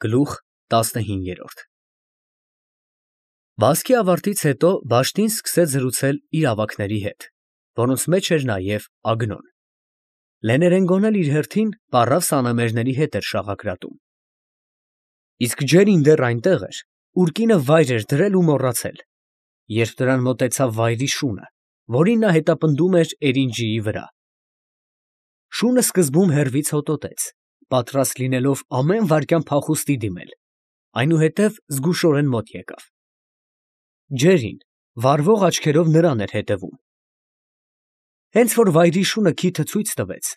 Գլուխ 15 Բասկի ավարտից հետո Բաշտին սկսեց զրուցել իր ավագների հետ, որոնց մեջ էր նաև Ագնոն։ Լեներենգոն էլ իր հերթին պառավ սանամերների հետ էր շաղակրատում։ Իսկ Ջերին դեռ այնտեղ էր, ուր կինը վայր էր դրել ու մոռացել, երբ նրան մոտեցավ վայրի շունը, որին նա հետապնդում էր Էրինջիի վրա։ Շունը սկզբում հեռվից հոտոտեց, պատրաստ լինելով ամեն վայրկյան փախուստի դիմել, այնուհետև զգուշորեն մոտ եկավ։ Ջերին վառվող աչքերով նրան էր հետևում։ Հենց որ վայրի շունը քիթը ցույց տվեց,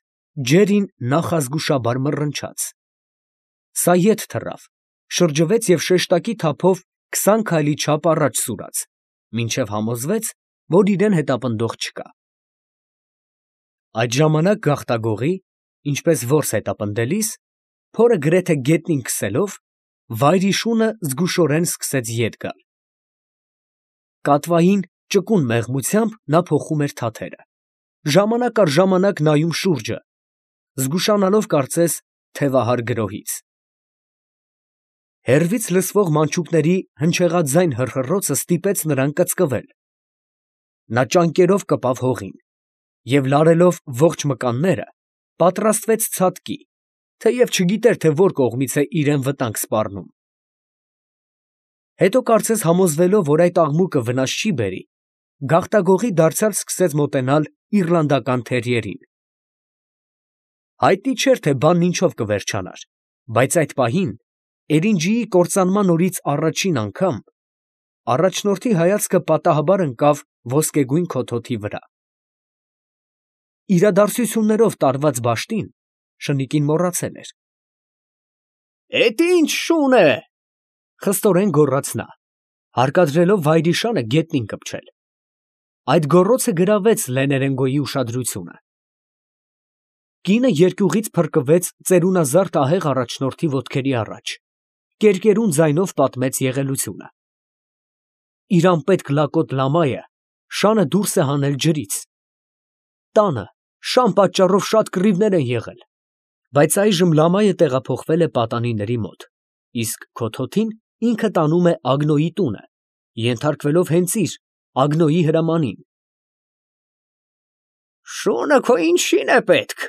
Ջերին նախազգուշաբար մռնչաց։ Սա ետ թռավ, շրջվեց և շեշտակի թափով 20 քայլի չափ առաջ սուրաց, մինչև համոզվեց, որ իրան հետապնդող չկա։ Այդ ժամանակ գաղտագողի, ինչպես որս հետապնդելիս, փորը գրեթե գետնին քսելով, վայրի շունը զգուշորեն սկսեց ետ գալ։ Կատվային ճկուն մեղմությամբ նա փոխում էր թաթերը, ժամանակ առ ժամանակ նայում շուրջը, զգուշանալով կարծես թևահար գրոհից։ Հեռվից լսվող մանչուկների հնչեղաձայն հռհռոցը ստիպեց նրան կծկվել։ Նա ճանկերով կպավ հողին և լարելով ողջ մկանները, պատրաստվեց ցատկի, թեև չգիտեր, թե որ կողմից է իրան վտանգ սպառնում։ Հետո կարծես համոզվելով, որ այդ աղմուկը վնաս չի բերի, գաղտագողի դարձյալ սկսեց մոտենալ իռլանդական թերիերին։ Հայտնի չէր, թե բանն ինչով կվերջանար, բայց այդ պահին, Էրինջիի կործանման օրից առաջին անգամ, առաջնորդի հայացքը պատահաբար ընկավ ոսկեգույն քոթոթի վրա։ Իրադարձություններով տարված Բաշտին շնիկին մոռացել էր։ «Էդ ի՞նչ շուն է», խստորեն գոռաց նա, հարկադրելով վայրի շանը գետնին կպչել։ Այդ գոռոցը գրավեց Լեներենգոյի ուշադրությունը։ Կինը երկյուղից փրկվեց ծերունազարդ ահեղ առաջնորդի ոտքերի առաջ, կերկերուն ձայնով պատմեց եղելությունը։ Իր անպետք լակոտ լամայը շանը դուրս է հանել ջրից։ Տանը շան պատճառով շատ կռիվներ են եղել, բայց այժմ լամայը տեղափոխվել է պատանիների մոտ, իսկ քոթոթին ինքը տանում է Ագնոյի տունը, ենթարկվելով հենց իր Ագնոյի հրամանին։ «Շունը քո ինչի՞ն է պետք»,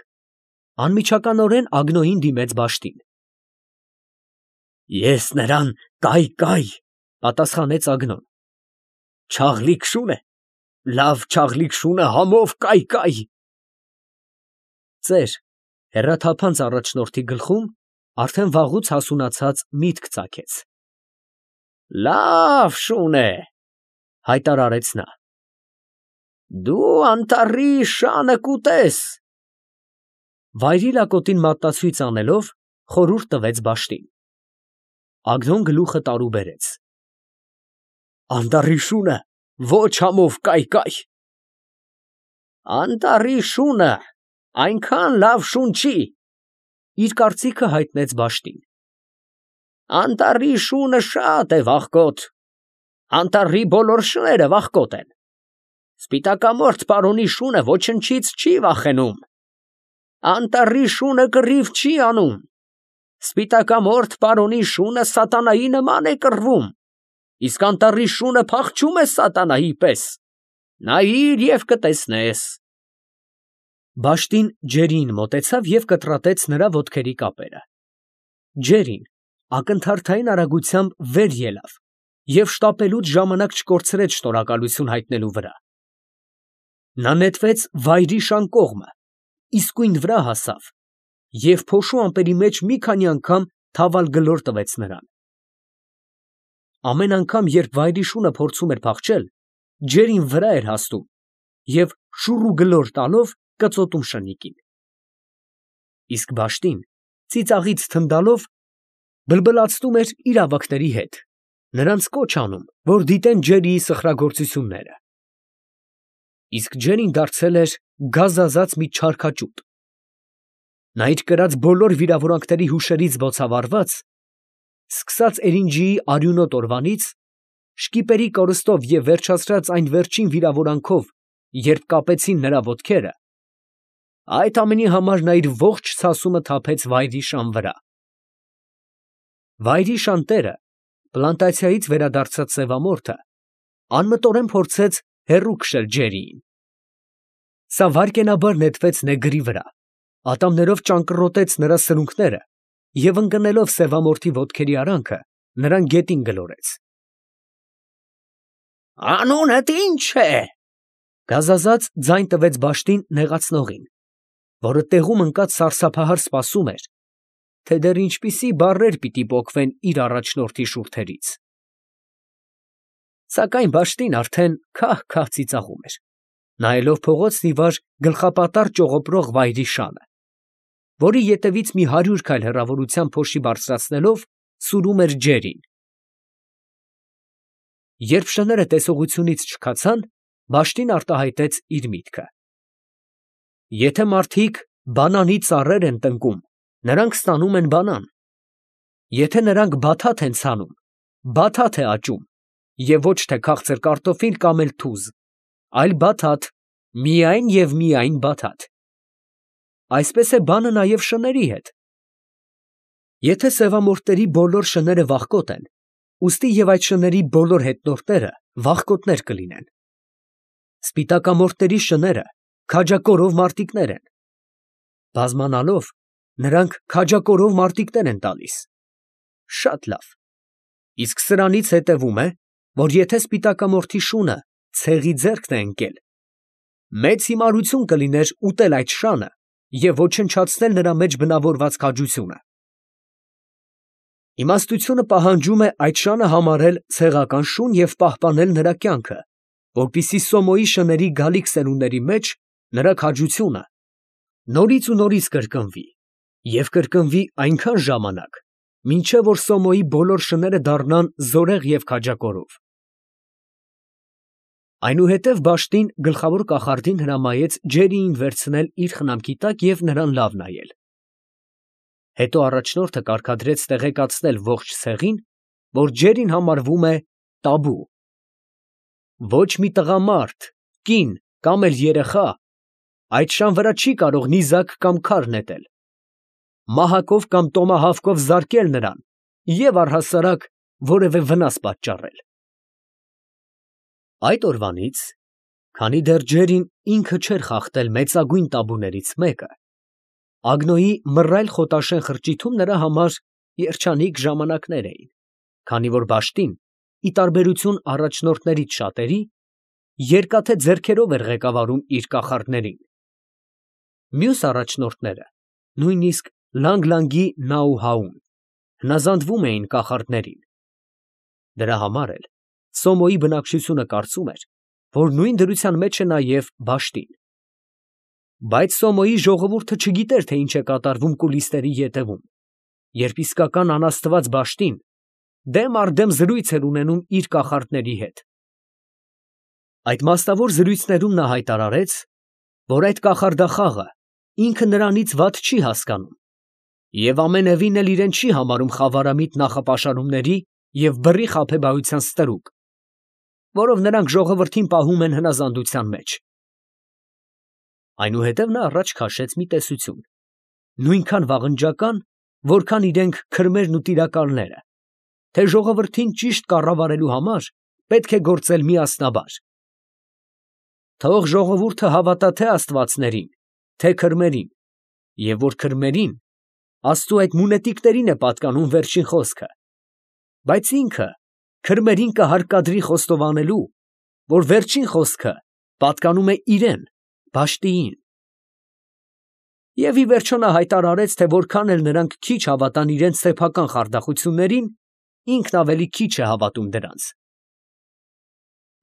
անմիջականորեն Ագնոյին դիմեց Բաշտին։ «Ես նրան կայ, պատասխանեց Ագնոն։ Չաղլիկ շուն է, լավ չաղլիկ շունը համով կայ։ Ծեր հեռաթափանց առաջնորդի գլխում արդեն վաղուց հասունացած միտք ծագեց։ «Լավ շուն է», հայտարարեց նա։ «Դու անտառի շանը կուտես»։ Վայրի լակոտին մատնացույց անելով, խորհուրդ տվեց Բաշտին։ Ագնոն գլուխը տարուբերեց։ «Անտառի շունը ոչ համով կայ։ Անտառի շունը այնքան լավ շուն չի», իր կարծիքը հայտնեց Բաշտին։ «Անտառի շունը շատ է վախկոտ, անտառի բոլոր շները վախկոտ են։ Սպիտակամորթ պարոնի շունը ոչնչից չի վախենում։ Անտառի շունը կռիվ չի անում։ Սպիտակամորթ պարոնի շունը սատանայի նման է կռվում, իսկ անտառի շունը փախչում է սատանայի պես։ Նայիր և կտեսնես»։ Բաշտին Ջերիին մոտեցավ և կտրատեց նրա ոտքերի կապերը։ Ջերին ակնթարթային արագությամբ վեր ելավ և շտապելուց ժամանակ չկորցրեց շնորհակալություն հայտնելու վրա։ Նա նետվեց վայրի շան կողմը, իսկույն վրա հասավ և փոշու ամպերի մեջ մի քանի անգամ թավալ գլոր տվեց նրան։ Ամեն անգամ, երբ վայրի շունը փորձում էր փախչել, Ջերին վրա էր հասնում և շուռ ու գլոր տալով կծոտում շնիկին։ Իսկ Բաշտին ծիծաղից թնդալով բլբլացնում էր իր ավագների հետ, նրանց կոչ անում, որ դիտեն Ջերիի սխրագործությունները։ Իսկ Ջերին դարձել էր գազազած մի չարքաճուտ։ Նա իր կրած բոլոր վիրավորանքների հուշերից բոցավառված, սկսած Էրինջիի արյունոտ օրվանից, շկիպերի կորստով և վերջացրած այն վերջին վիրավորանքով, երբ կապեցին նրա ոտքերը, այդ ամենի համար նա իր ողջ ցասումը թափեց վայրի շան վրա։ Վայրի շանտերը, պլանտացիայից վերադարձած սևամորթը, անմտորեն փորձեց հեռու քշել Ջերիին։ Սա վայրկենաբար նետվեց նեգրի վրա, ատամներով ճանկռոտեց նրա սրունքները և ընկնելով սևամորթի ոտքերի արանքը, նրան գետին գլորեց։ «Անունդ ի՞նչ է», գազազած ձայն տվեց Բաշտին նեղացնողին, որը տեղում ընկած սարսափահար սպասում էր, թե դեռ ինչպիսի բառեր պիտի պոկվեն իր առաջնորդի շուրթերից։ Սակայն Բաշտին արդեն քահ-քահ ծիծաղում էր, նայելով փողոցն ի վար գլխապատառ ճողոպրող վայրի շանը, որի ետևից մի 100 քայլ հեռավորության փոշի բարձրացնելով սուրում էր Ջերին։ Երբ շները տեսողությունից չքացան, Բաշտին արտահայտեց իր միտքը. եթե մարդիկ բանանի ծառեր են տնկում, նրանք ստանում են բանան. եթե նրանք բաթաթ են ցանում, բաթաթ է աճում, և ոչ թե քաղցր կարտոֆիլ կամ էլ թուզ, այլ բաթաթ, միայն և միայն բաթաթ։ Այսպես է բանը նաև շների հետ։ Եթե սևամորթների բոլոր շները վախկոտ են, ուստի և այդ շների բոլոր հետնորդները վախկոտներ կլինեն։ Սպիտակամորթների շները քաջակորով մարտիկներ են։ Բազմանալով, նրանք քաջակորով մարտիկներ են տալիս։ Շատ լավ։ Իսկ սրանից հետևում է, որ եթե սպիտակամորթի շունը ցեղի ձեռքն է ընկել, մեծ հիմարություն կլիներ ուտել այդ շանը և ոչնչացնել նրա մեջ բնավորված քաջությունը։ Իմաստությունը պահանջում է այդ շանը համարել ցեղական շուն և պահպանել նրա կյանքը, որպեսզի Սոմոյի շների գալիք սերունդների մեջ նրա քաջությունը նորից ու նորից կրկնվի և կրկնվի այնքան ժամանակ, մինչև որ Սոմոյի բոլոր շները դառնան զորեղ և քաջակորով։ Այնուհետև Բաշտին գլխավոր կախարդին հրամայեց Ջերիին վերցնել իր խնամքի տակ և նրան լավ նայել։ Հետո առաջնորդը կարգադրեց տեղեկացնել ողջ ցեղին, որ Ջերին համարվում է տաբու։ Ոչ մի տղամարդ, կին կամ էլ երեխա այդ շան վրա չի կարող նիզակ կամ քար նետել, մահակով կամ տոմահավքով զարկել նրան և առհասարակ որևէ վնաս պատճառել։ Այդ օրվանից, քանի դեռ Ջերին ինքը չէր խախտել մեծագույն տաբուներից մեկը, Ագնոյի մռայլ խոտաշեն խրճիթում նրա համար երջանիկ ժամանակներ էին, քանի որ Բաշտին, ի տարբերություն առաջնորդներից շատերի, երկաթե ձեռքերով էր ղեկավարում իր կախարդներին։ Մյուս առաջնորդները, նույնիսկ Լանգլանգի Նաուհաուն, հնազանդվում էին կախարդներին։ Դրա համար էլ Սոմոյի բնակչությունը կարծում էր, որ նույն դրության մեջ է նաև Բաշտին։ Բայց Սոմոյի ժողովուրդը չգիտեր, թե ինչ է կատարվում կուլիսների ետևում, երբ իսկական անաստված Բաշտին դեմ առ դեմ զրույց էր ունենում իր կախարդների հետ։ Այդ մասնավոր զրույցներում նա հայտարարեց, որ այդ կախարդախաղը ինքը նրանից վատ չի հասկանում և ամենևին էլ իրեն չի համարում խավարամիտ նախապաշարումների և բռի խաբեբայության ստրուկ, որով նրանք ժողովրդին պահում են հնազանդության մեջ։ Այնուհետև նա առաջ քաշեց մի տեսություն, նույնքան վաղնջական, որքան իրենք քրմերն ու տիրակալները, թե ժողովրդին ճիշտ կառավարելու համար պետք է գործել միասնաբար։ Թող ժողովուրդը հավատա թե աստվածներին, թե քրմերին, և որ քրմերին Աստծու այդ մունետիկներին է պատկանում վերջին խոսքը, բայց ինքը քրմերին կհարկադրի խոստովանելու, որ վերջին խոսքը պատկանում է իրան, Բաշտիին։ Եվ ի վերջո նա հայտարարեց, թե որքան էլ նրանք քիչ հավատան իրենց սեփական խարդախություններին, ինքն ավելի քիչ է հավատում դրանց։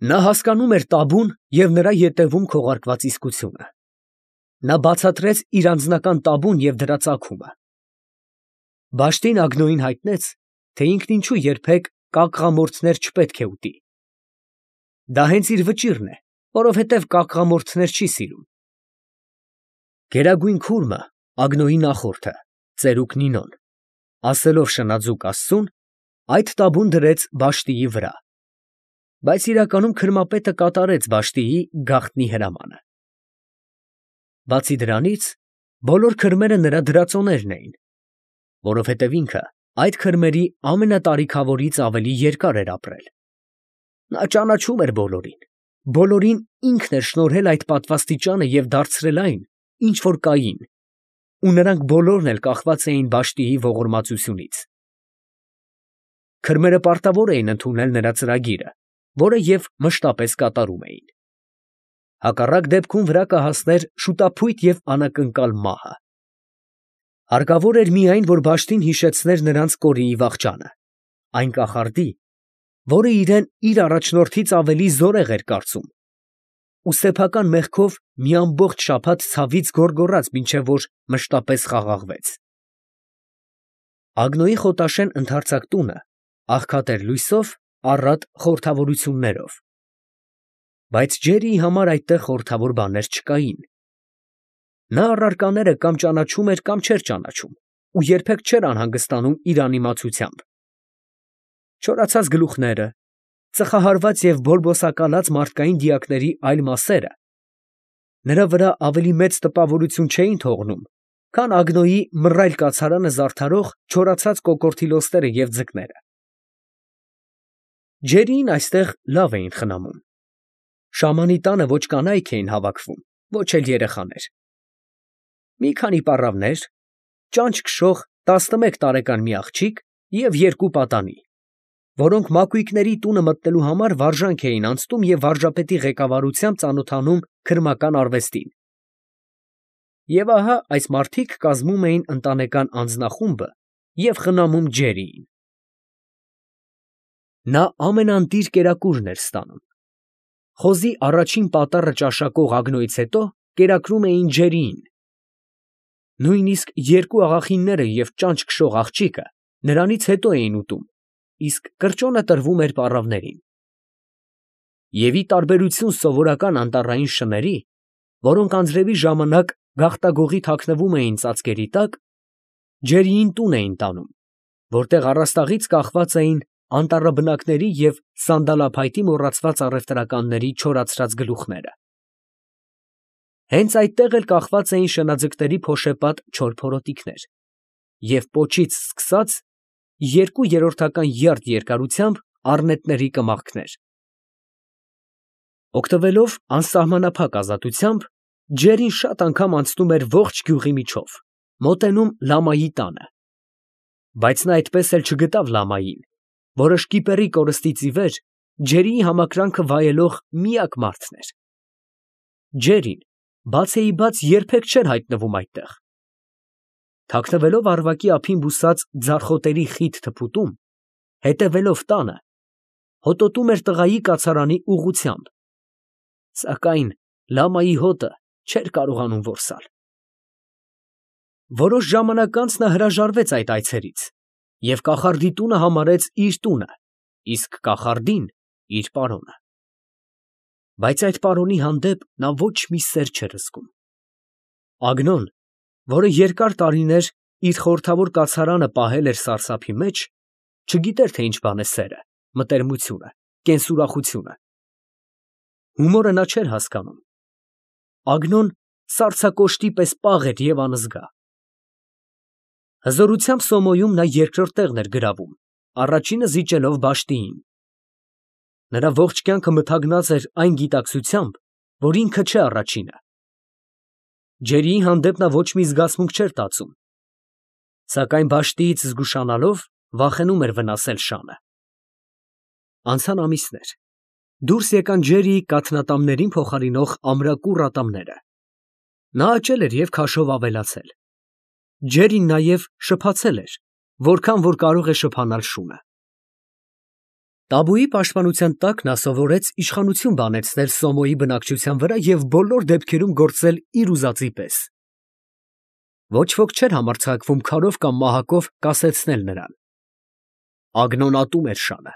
Նա հասկանում էր տաբուն և նրա ետևում քողարկված իսկությունը։ Նա բացատրեց իր անձնական տաբուն և դրա ծագումը։ Բաշտին Ագնոյին հայտնեց, թե ինքն ինչու երբեք կակղամորթներ չպետք է ուտի։ Դա հենց իր վճիռն է, որովհետև կակղամորթներ չի սիրում։ Գերագույն քուրմը, Ագնոյի նախորդը, ծերուկ Նինոն, ասելով շնաձուկ Աստծուն, այդ տաբուն դրեց Բաշտիի վրա, բայց իրականում քրմապետը կատարեց Բաշտիի գաղտնի հրամանը։ Բացի դրանից, բոլոր քրմերը նրա դրածոներն էին, որովհետև ինքը այդ քրմերի ամենատարիքավորից ավելի երկար էր ապրել։ Նա ճանաչում էր բոլորին, բոլորին ինքն էր շնորհել այդ պատվաստիճանը և դարձրել այն, ինչ որ կային, ու նրանք բոլորն էլ կախված էին Վաշտիի ողորմածությունից։ Քրմերը պարտավոր էին ընդունել նրա ծրագիրը, որը և մշտապես կատարում էին։ Հակառակ դեպքում վրա կհասներ շուտափույթ և անակնկալ մահը։ Հարկավոր էր միայն, որ Վաշտին հիշեցներ նրանց կորիի վախճանը, այն կախարդի, որը իրեն իր առաջնորդից ավելի զորեղ էր կարծում, ու սեփական մեղքով մի ամբողջ շաբաթ ցավից գոռգոռաց, մինչև որ մշտապես խաղաղվեց։ Ագնոյի խոտաշեն ընդարձակ տունը աղքատ էր լույսով, առատ խորհրդավորություններով, բայց Ջերիի համար այդտեղ խորհրդավոր բաներ չկային։ Նա առարկաները կամ ճանաչում էր, կամ չէր ճանաչում, ու երբեք չէր անհանգստանում իր անիմացությամբ։ Չորացած գլուխները, ծխահարված և բորբոսակալած մարդկային դիակների այլ մասերը նրա վրա ավելի մեծ տպավորություն չէին թողնում, քան Ագնոյի մռայլ կացարանը զարդարող չորացած կոկորդիլոստերը և ձկները։ Ջերիին այստեղ լավ էին խնամում։ Շամանի տանը ոչ կանայք էին հավաքվում, ոչ էլ երեխաներ։ Մի քանի պառավներ, ճանճ քշող 11 տարեկան մի աղջիկ և 2 պատանի, որոնք մակույկների տունը մտնելու համար վարժանք էին անցնում և վարժապետի ղեկավարությամբ ծանոթանում քրմական արվեստին։ Եվ ահա այս մարդիկ կազմում էին ընտանեկան անձնախումբը և խնամում Ջերիին։ Նա ամենաընտիր կերակուրն էր ստանում։ Խոզի առաջին պատառը ճաշակող Ագնոյից հետո կերակրում էին Ջերիին։ Նույնիսկ 2 աղախինները և ճանճ քշող աղջիկը նրանից հետո էին ուտում, իսկ կրճոնը տրվում էր պառավներին։ Եվ ի տարբերություն սովորական անտառային շների, որոնք անձրևի ժամանակ գաղտագողի թաքնվում էին ծածկերի տակ, Ջերիին տուն էին տանում, որտեղ առաստաղից կախված էին անտառաբնակների և սանդալափայտի մոռացված առևտրականների չորացրած գլուխները։ Հենց այդտեղ էլ կախված էին շնաձկների փոշեպատ չոր փորոտիքներ և պոչից սկսած 2/3 յարդ երկարությամբ առնետների կմախքներ։ Օգտվելով անսահմանափակ ազատությամբ, Ջերին շատ անգամ անցնում էր ողջ գյուղի միջով, մոտենում լամայի տանը, բայց նա այդպես էլ չգտավ լամային, որը շկիպերի կորստից ի վեր Ջերիի համակրանքը վայելող միակ մարդն էր։ Ջերին բացեիբաց երբեք չէր հայտնվում այդտեղ։ Թաքնվելով առվակի ափին բուսած ձարխոտերի խիտ թփուտում, հետևելով տանը, հոտոտում էր տղայի կացարանի ուղղությամբ, սակայն լամայի հոտը չէր կարողանում որսալ։ Որոշ ժամանակ անց նա հրաժարվեց այդ այցերից և կախարդի տունը համարեց իր տունը, իսկ կախարդին իր պարոնը։ Բայց այդ պարոնի հանդեպ նա ոչ մի սեր չէր զգում։ Ագնոն, որը երկար տարիներ իր խորհրդավոր կացարանը պահել էր սարսափի մեջ, չգիտեր, թե ինչ բան է սերը, մտերմությունը, կենսուրախությունը։ Հումորը նա չէր հասկանում։ Ագնոն սառցակոշտի պես պաղ էր և անզգա։ Հզորությամբ Սոմոյում նա երկրորդ տեղն էր գրավում, առաջինը զիջելով Վաշտիին։ Նրա ողջ կյանքը մթագնած էր այն գիտակցությամբ, որ ինքը չէ առաջինը։ Ջերիի հանդեպ նա ոչ մի զգացմունք չէր տածում, սակայն Վաշտիից զգուշանալով վախենում էր վնասել շանը։ Անցան ամիսներ, դուրս եկան Ջերիի կաթնատամներին փոխարինող ամրակուռ ատամները։ Նա աճել էր և քաշով ավելացել։ Ջերին նաև շփացել էր, որքան որ կարող է շփանալ շունը։ Տաբուի պաշտպանության տակ նա սովորեց իշխանություն բանեցնել Սոմոյի բնակչության վրա և բոլոր դեպքերում գործել իր ուզածի պես։ Ոչ ոք չէր համարձակվում քարով կամ մահակով կասեցնել նրան։ Ագնոն ատում էր շանը։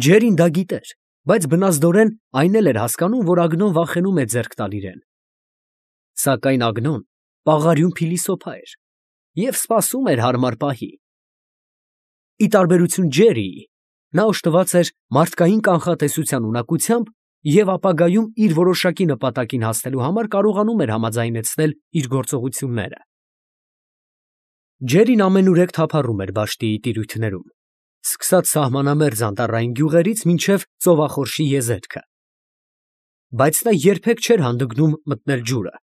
Ջերին դա գիտեր, բայց բնազդորեն այն էլ էր հասկանում, որ Ագնոն վախենում է ձեռք տալ իրեն։ Սակայն Ագնոն պաղարյուն փիլիսոփա էր և սպասում էր հարմար պահի։ Ի տարբերություն Ջերիի, նա օժտված էր մարդկային կանխատեսության ունակությամբ և ապագայում իր որոշակի նպատակին հասնելու համար կարողանում էր համաձայնեցնել իր գործողությունները։ Ջերին ամենուրեք թափառում էր Բաշտիի տիրույթներում, սկսած սահմանամերձ անտառային գյուղերից մինչև ծովախորշի եզերքը, բայց նա երբեք չէր հանդգնում մտնել ջուրը,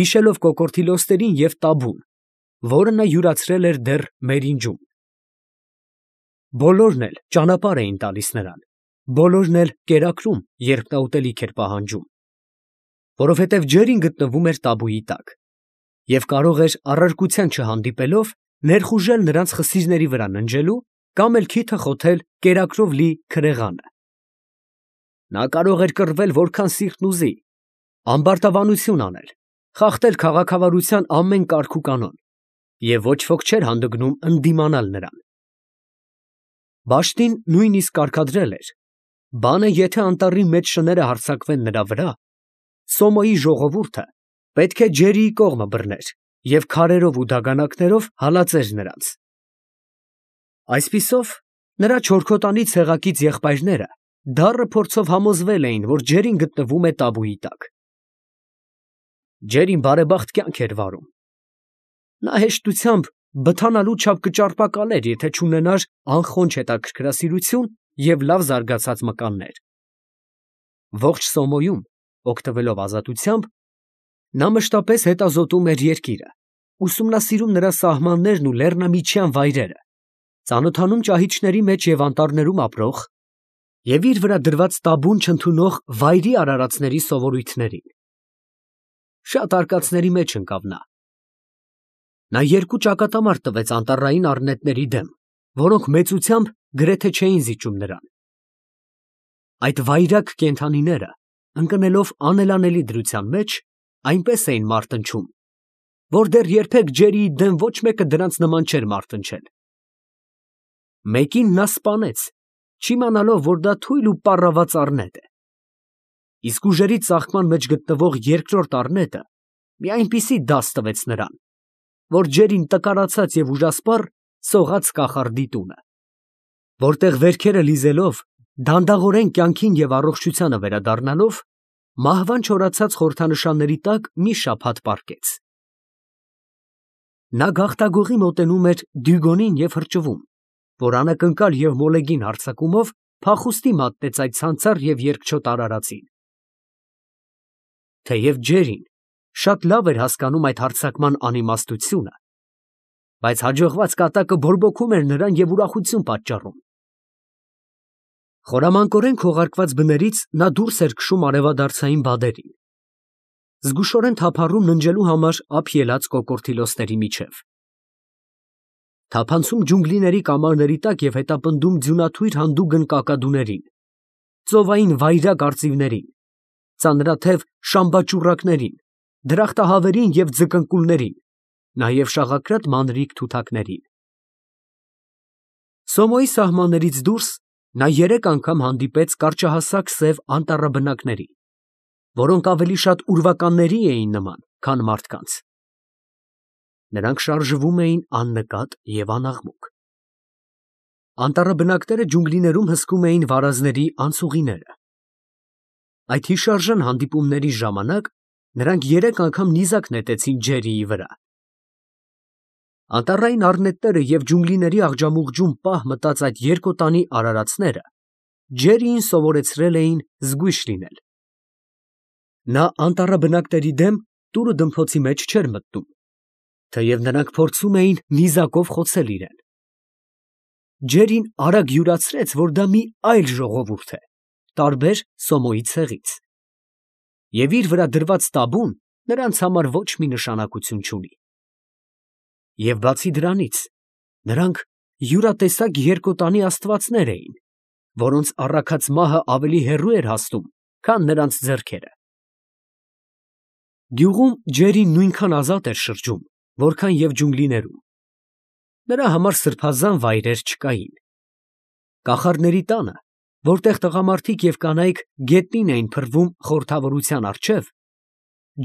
հիշելով կոկորդիլոսներին և տաբուն, որը նա յուրացրել էր դեռ Մերինջում։ Բոլորն էլ ճանապարհ էին տալիս նրան, բոլորն էլ կերակրում, երբ նա ուտելիք էր պահանջում, որովհետև ջերին գտնվում էր տաբուի տակ և կարող էր առարկության չհանդիպելով ներխուժել նրանց խսիրների վրա ննջելու կամ էլ քիթը խոթել կերակրով լի քրեղանը։ Նա կարող էր կռվել որքան սիրտն ուզի, ամբարտավանություն անել, խախտել քաղաքավարության ամեն կարգ ու կանոն, և ոչ ոք չէր հանդգնում ընդդիմանալ նրան։ Բաշտին նույնիսկ կարգադրել էր. բանը եթե անտառի մեջ շները հարձակվեն նրա վրա, Սոմոյի ժողովուրդը պետք է ջերիի կողմը բռներ և քարերով ու դագանակներով հալածեր նրանց։ Այսպիսով, նրա չորքոտանի ցեղակից եղբայրները դառը փորձով համոզվել էին, որ ջերին գտնվում է տաբուի տակ։ Ջերին բարեբախտ կյանք էր վարում։ Նա հեշտությամբ բթանալու չափ կճարպակալեր, եթե չունենար անխոնջ հետաքրքրասիրություն և լավ զարգացած մկաններ։ Ողջ Սոմոյում, օգտվելով ազատությամբ, նա մշտապես հետազոտում էր երկիրը, ուսումնասիրում նրա սահմաններն ու լեռնամիջյան վայրերը, ծանոթանում ճահիճների մեջ և անտառներում ապրող և իր վրա դրված տաբուն չընդունող վայրի արարածների սովորույթներին։ Շատ արկածների մեջ ընկավ նա։ Նա երկու ճակատամարտ տվեց անտառային առնետների դեմ, որոնք մեծությամբ գրեթե չէին զիջում նրան։ Այդ վայրագ կենդանիները, ընկնելով անելանելի դրության մեջ, այնպես էին մարտնչում, որ դեռ երբեք ջերիի դեմ ոչ մեկը դրանց նման չէր մարտնչել։ Մեկին նա սպանեց, չիմանալով, որ դա թույլ ու պառաված առնետ է, իսկ ուժերի ծաղկման մեջ գտնվող երկրորդ առնետը մի այնպիսի դաս տվեց նրան, որ ջերին տկարացած և ուժասպառ սողաց կախարդի տունը, որտեղ վերքերը լիզելով, դանդաղորեն կյանքին և առողջությանը վերադառնալով, մահվան չորացած խորհրդանշանների տակ մի շաբաթ պառկեց։ Նա գաղտագողի մոտենում էր Դյուգոնին և հրճվում, որ անակնկալ և մոլեգին հարձակումով փախուստի մատնեց այդ ցանցառ և երկչոտ արարածին։ Թեև ջերին շատ լավ էր հասկանում այդ հարձակման անիմաստությունը, բայց հաջողված կատակը բորբոքում էր նրան և ուրախություն պատճառում։ Խորամանկորեն քողարկված բներից նա դուրս էր քշում արևադարձային բադերին, զգուշորեն թափառում ննջելու համար ափ ելած կոկորդիլոսների միջև, թափանցում ջունգլիների կամարների տակ և հետապնդում ձյունաթույր հանդուգն կակադուներին, ծովային վայրագ արծիվներին, ծանրաթև շամբաճուռակներին, դրախտահավերին և ձկնկուլներին, նաև շաղակրատ մանրիկ թութակներին։ Սոմոյի սահմաններից դուրս նա 3 անգամ հանդիպեց կարճահասակ սև անտառաբնակների, որոնք ավելի շատ ուրվականների էին նման, քան մարդկանց։ Նրանք շարժվում էին աննկատ և անաղմուկ։ Անտառաբնակները ջունգլիներում հսկում էին վարազների անցուղիները։ Այդ հիշարժան հանդիպումների ժամանակ նրանք 3 անգամ նիզակ նետեցին ջերիի վրա։ Անտառային առնետները և ջունգլիների աղջամուղջում պահ մտած այդ երկոտանի արարածները ջերիին սովորեցրել էին զգույշ լինել։ Նա անտառաբնակների դեմ տուրը դմփոցի մեջ չէր մտնում, թեև նրանք փորձում էին նիզակով խոցել իրեն։ Ջերին արագ յուրացրեց, որ դա մի այլ ժողովուրդ է, տարբեր Սոմոյի ցեղից, և իր վրա դրված տաբուն նրանց համար ոչ մի նշանակություն չունի։ Եվ բացի դրանից, նրանք յուրատեսակ երկոտանի աստվածներ էին, որոնց առաքած մահը ավելի հեռու էր հասնում, քան նրանց ձեռքերը։ Գյուղում ջերին նույնքան ազատ էր շրջում, որքան և ջունգլիներում։ Նրա համար սրբազան վայրեր չկային։ Կախարդների տանը, որտեղ տղամարդիկ և կանայք գետնին էին փռվում խորհրդավորության առջև,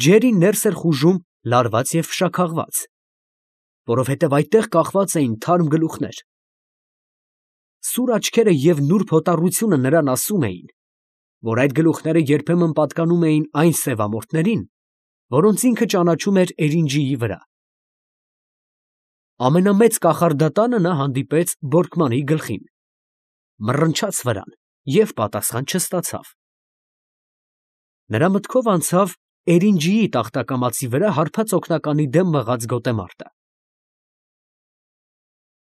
ջերին ներս էր խուժում լարված և փշաքաղված, որովհետև այդտեղ կախված էին թարմ գլուխներ։ Սուր աչքերը և նուրբ հոտառությունը նրան ասում էին, որ այդ գլուխները երբեմն պատկանում էին այն սևամորթներին, որոնց ինքը ճանաչում էր էրինջիի վրա։ Ամենամեծ կախարդատանը նա հանդիպեց Բորկմանի գլխին, մռնչաց վրան և պատասխան չստացավ։ Նրա մտքով անցավ Էրինջիի տախտակամածի վրա հարբած օգնականի դեմ մղած գոտեմարտը։